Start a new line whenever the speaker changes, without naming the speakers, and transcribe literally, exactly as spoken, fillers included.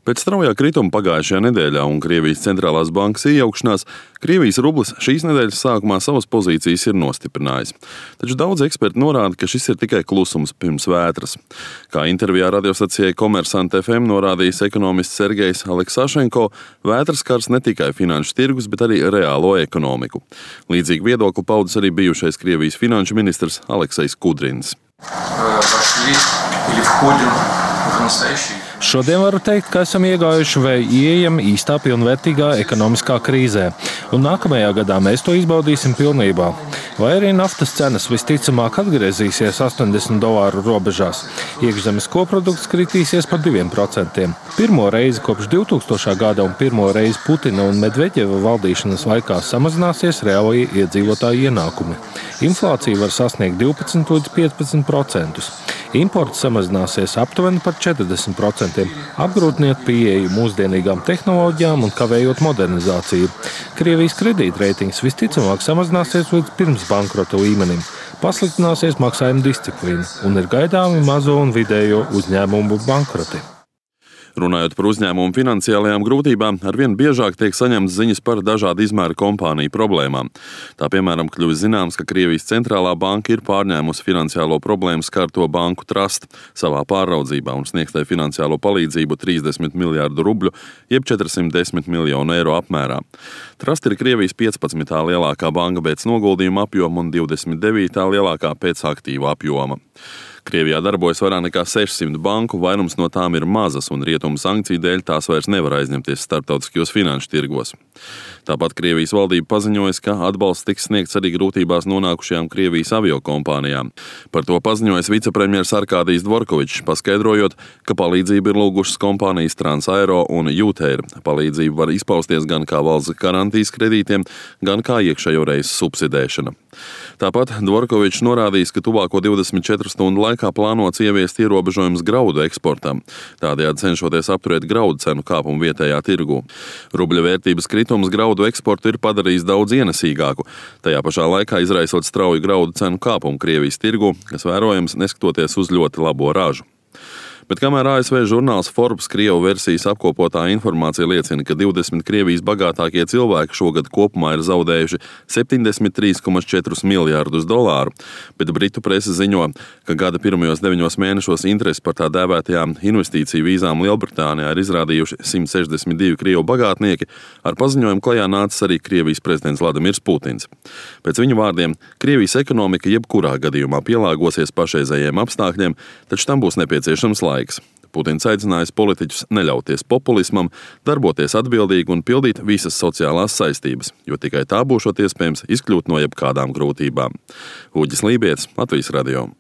Pēc straujā krituma pagājušajā nedēļā un Krievijas centrālās bankas iejaukšanās, Krievijas rublis šīs nedēļas sākumā savas pozīcijas ir nostiprinājis. Taču daudz eksperti norāda, ka šis ir tikai klusums pirms vētras. Kā intervijā radiostacijai Komersant F M norādījis ekonomists Sergejs Aleksašenko, vētras skars ne tikai finanšu tirgus, bet arī reālo ekonomiku. Līdzīgi viedokli paudis arī bijušais Krievijas finanšu ministrs Aleksejs Kudrins.
Šodien varu teikt, ka esam iegājuši vai ieejam īstā pilnvērtīgā ekonomiskā krīzē, un nākamajā gadā mēs to izbaudīsim pilnībā. Vai arī naftas cenas visticamāk atgriezīsies astoņdesmit dolāru robežās. Iekšzemes koprodukts kritīsies par diviem procentiem. Pirmo reizi kopš divtūkstošā gada un pirmo reizi Putina un Medveģeva valdīšanas laikā samazināsies reālie iedzīvotāju ienākumi. Inflācija var sasniegt divpadsmit līdz piecpadsmit procentus. Imports samazināsies aptuveni par četrdesmit procentiem, apgrūtinot pieeju mūsdienīgām tehnoloģijām un kavējot modernizāciju. Krievijas kredītreitings visticamāk samazināsies līdz pirms bankrota līmenim, pasliktināsies maksājuma disciplīna un ir gaidāmi mazo un vidējo uzņēmumu bankroti.
Runājot par uzņēmumu finansiālajām grūtībām, arvien biežāk tiek saņemtas ziņas par dažādu izmēru kompāniju problēmām. Tā piemēram kļuvis zināms, ka Krievijas centrālā banka ir pārņēmusi finansiālo problēmu skarto banku Trust savā pāraudzībā un sniegs tai finansiālo palīdzību trīsdesmit miljārdu rubļu, jeb četrsimt desmit miljonu eiro apmērā. Trust ir Krievijas piecpadsmitā lielākā banka pēc noguldījuma apjoma un divdesmit devītā lielākā pēc aktīvu apjoma. Krievijā darbojas vairāk nekā sešsimt banku, vairums no tām ir mazas, un rietumu sankciju dēļ tās vairs nevar aizņemties starptautiskajos finanšu tirgos. Tāpat Krievijas valdība paziņojas, ka atbalsts tiks sniegts arī grūtībās nonākušajām Krievijas aviokompānijām. Par to paziņojas vicepremjers Arkādijs Dvorkovičs, paskaidrojot, ka palīdzību ir lūgušas kompānijas Transaero un Jūteir. Palīdzība var izpausties gan kā valsts garantijas kredītiem, gan kā iekšējo reisu subsidēšana. Tāpat Dvorkovičs norādījis, ka tuvāko divdesmit četru stundu laikā plānots ieviest ierobežojumus graudu eksportam, tādējādi cenšoties apturēt graudu cenu kāpumu vietējā tirgū. Rubļa vērtības kritums graudu eksportu ir padarījis daudz ienesīgāku, tajā pašā laikā izraisot strauju graudu cenu kāpumu Krievijas tirgū, kas vērojams neskatoties uz ļoti labo ražu. Bet kamēr A S V žurnāls Forbes Krievu versijas apkopotā informācija liecina, ka divdesmit Krievijas bagātākie cilvēki šogad kopumā ir zaudējuši septiņdesmit trīs komats četri miljārdus dolāru, bet britu prese ziņo, ka gada pirmajos deviņos mēnešos interesi par tā dēvētajām investīciju vīzām Lielbritānijā ir izrādījuši simt sešdesmit divi Krievu bagātnieki, ar paziņojumu klajā nācis arī Krievijas prezidents Vladimirs Putins. Pēc viņa vārdiem, Krievijas ekonomika jebkurā gadījumā pielāgosies pašreizējiem apstākļiem, taču tam būs nepieciešams laiks. Putins aicinājis politiķus neļauties populismam, darboties atbildīgi un pildīt visas sociālās saistības, jo tikai tā būšot iespējams izkļūt no jebkādām grūtībām. Uģis Lībietis, Latvijas radio.